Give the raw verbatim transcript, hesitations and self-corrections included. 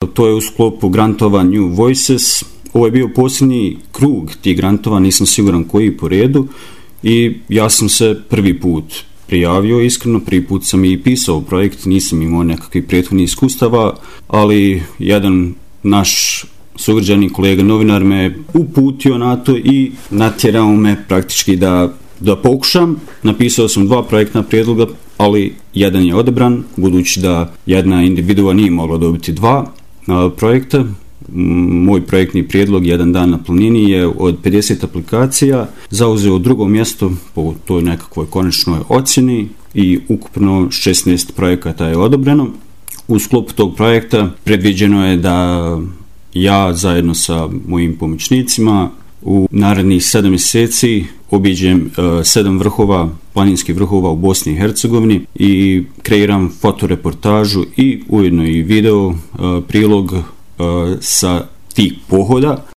To je u sklopu grantova New Voices. Ovo je bio posljednji krug tih grantova, nisam siguran koji po redu, i ja sam se prvi put prijavio, iskreno, prvi put sam i pisao projekt, nisam imao nekakvih prethodnih iskustava, ali jedan naš sugrađani kolega novinar me uputio na to i natjerao me praktički da, da pokušam. Napisao sam dva projektna prijedloga, ali jedan je odabran, budući da jedna individua nije mogla dobiti dva a, projekta. Moj projektni prijedlog Jedan dan na planini je od pedeset aplikacija zauzeo drugo mjesto po toj nekakvoj konačnoj ocjeni i ukupno šesnaest projekata je odobreno. U sklopu tog projekta predviđeno je da ja zajedno sa mojim pomoćnicima u narednih sedam mjeseci obiđem uh, sedam vrhova, planinskih vrhova u Bosni i Hercegovini i kreiram fotoreportažu i ujedno i video uh, prilog uh, sa tih pohoda.